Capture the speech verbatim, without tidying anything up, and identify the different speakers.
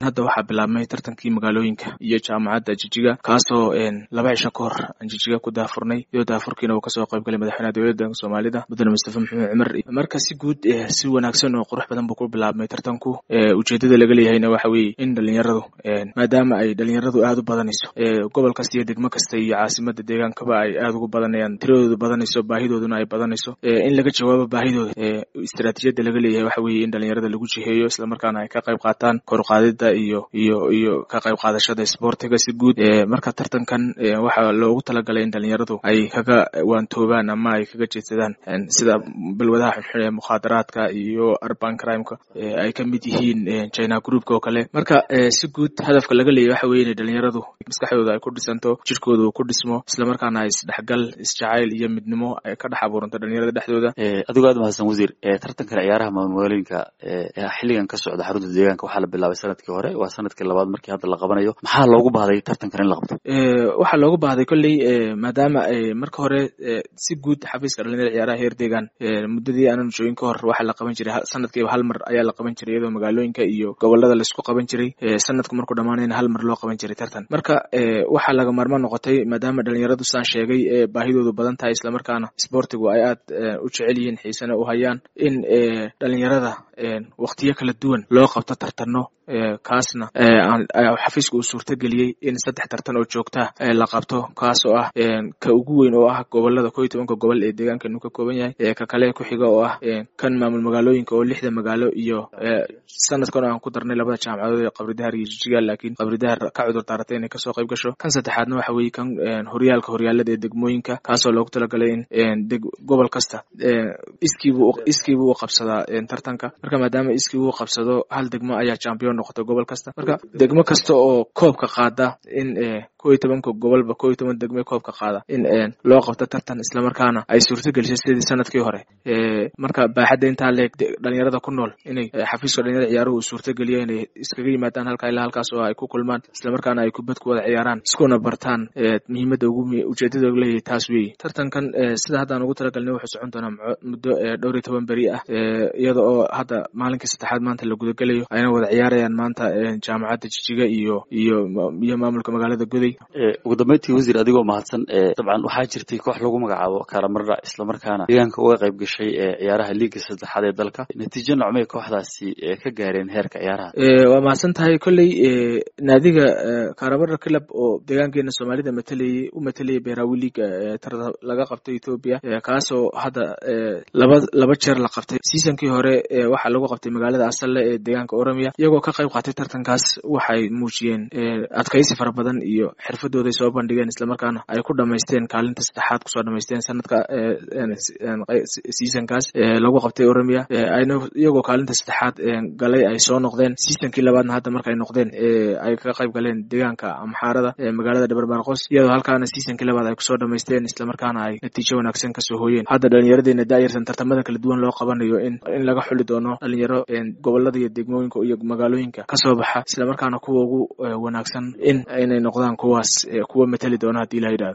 Speaker 1: Hadda waxaa bilaabmay tartankii magaalooyinka iyo jaamacadda Jijiga, kaasoo laba cisho ka hor aan Jijiga ku daafurnay, iyadoo daafurkiina uu kasoo qayb galay madaxweynaha dowladda Soomaalida, Mudane Mustafa Maxamed Cumar. Marka si guud si wanaagsan oo qurux badan buu ku bilaabmay tartanku. Ujeedada laga leeyahayna waxa weeye in dhalinyaradu, maadaama ay dhalinyaradu aada u badanayso gobol kasta iyo degmo kasta iyo caasimada deegaankaba ay aada ugu badanayaan, tiradoodu badanayso, baahidooduna ay badanayso, in laga jawaabo baahidooda. Istaraatiijiyadda laga leeyahay waxa weeye in dhalinyarada lagu jiheeyo, islamarkaana ay ka qayb qaataan koruqaadida iyo iyo iyo ka qayb qaadashada isboortiga si guud. Marka tartankan waxaa loogu talagalay in dhalinyaradu ay kaga waantoobaan ama ay kaga jeedsadaan sida balwadaha xunxun ee mukhaadaraadka iyo urban crimeka ay ka mid yihiin China groupka oo kale. Marka si guud hadafka laga leeyahy waxa weye inay dhalinyaradu maskaxdooda ay ku dhisanto, jirkooda uu ku dhismo, islamarkaana ay isdhexgal, isjacayl iyo midnimo ay ka dhex abuuranto dhalinyarada dhexdooda.
Speaker 2: Adigoo aad mahadsan, wasiir, tartankan ciyaaraha magaalooyinka xilligan ka socda xarunta deegaanka waxaa la bilaabay sanadkii hore, waa sanadkii labaad markii hadda la qabanayo. Maxaa loogu baahday tartankan in la qabto?
Speaker 1: Waxaa loogu baahday kolley maadaama marka hore si guud xafiiska dhalinyarada ciyaaraha heer deegaan muddadii aanan joogin ka hor waxaa la qaban jiray sanadkiiba hal mar ayaa la qaban jiray, iyadoo magaalooyinka iyo gobolada laisku qaban jiray, sanadku markuu dhamaanayna hal mar loo qaban jiray tartan. Marka waxaa laga maarmaan noqotay, maadaama dhalinyaradu saan sheegay baahidoodu badan tahay, islamarkaana isboortigu ay aad u jecel yihiin, xiisana u hayaan, in dhalinyarada waqtiyo kala duwan loo qabto tartano. Kaasna xafiiska uu suurtageliyey in saddex tartan oo joogtaa la qabto, kaas oo ah ka ugu weyn oo ah gobolada ko iyo tobanka gobol ee deegaankeenu ka kooban yahay, ka kale ku xiga oo ah kan maamul magaalooyinka oo lixda magaalo, iyo sanadkan oo aan ku darnay labada jaamacadood ee Qabridahar iyo Jijiga, laakiin Qabridahar ka cudur daaratay inay kasoo qayb gasho. Kan saddexaadna waxa weeye kan horyaalka horyaalada ee degmooyinka, kaasoo loogu talagalay in gobol kasta iskiibuu iskiibuu u qabsadaa tartanka. Marka maadaama iskii uu qabsado, hal degmo ayaa champion noqota gobol kasta. Marka degmo kasta oo koobka qaada, in ko iyo tobanka gobolba ko iyo toban degme koobka qaada in loo qabto tartan, islamarkaana ay suurto gelisay sidii sanadkii hore. Marka baaxadda intaa leeg dhalinyarada ku nool inay xafiiska dhalinyarada ciyaaruhu uu suurtogeliyo inay iskaga yimaadaan halkaa ilaa halkaas oo ay ku kulmaan, islamarkaana ay kubad ku wada ciyaaraan, iskuna bartaan. Muhiimadda ugu ujeedada leeyahay taas weeye. Tartankan sida haddaan ugu talagalnay wuxuu socon doonaa muddo dhowr iyo toban beri ah, iyada oo hadda maalinkii saddexaad maanta la gudagelayo, ayna wada ciyaarayaan maanta jaamacadda Jijiga iyo iyo iyo maamulka magaalada Goday.
Speaker 2: Ugu dambeyntii, wasiir, adigoo mahadsan, dabcan waxaa jirtay koox lagu magacaabo Kaaramardha, islamarkaana deegaanka uga qayb gashay ciyaaraha liiga saddexaad ee dalka. Natiijo nocmay kooxdaasi ka gaareen heerka ciyaaraha?
Speaker 1: Waa mahadsan tahay. Kolley naadiga Kaaramardha Club oo deegaankeena Soomaalida matalayay, u matalayay Beerawi League tartan laga qabtay Ethiopia, kaasoo hadda laba laba jeer la qabtay. Seasonkii hore waxaa lagu qabtay magaalada Asalle ee deegaanka Oromia. Iyagoo ka qayb qaatay tartankaas waxay muujiyeen adkaysi fara badan iyo xirfadooday soo bandhigeen, islamarkaana ay ku dhamaysteen kaalinta saddexaad kusoo dhamaysteen sanadka seasonkaas lagu qabtay Oromia. Ayna iyagoo kaalinta saddexaad galay ay soo noqdeen seasonkii labaadna. Hadda markay noqdeen ay kaga qayb galeen deegaanka Amxaarada magaalada Dhabarbaarqos, iyadoo halkaana seasonkii labaad ay kusoo dhamaysteen, islamarkaana ay natiijo wanaagsan kasoo hooyeen. Hadda dhalinyaradeena da'yartan tartamada kala duwan loo qabanayo in in laga xuli doono dhalinyaro gobolada iyo degmooyinka iyo magaalooyinka kasoo baxa, islamarkaana kuwa ugu wanaagsan in inay noqdaan kuwaas kuwa matali doona haddii la yidhahdo.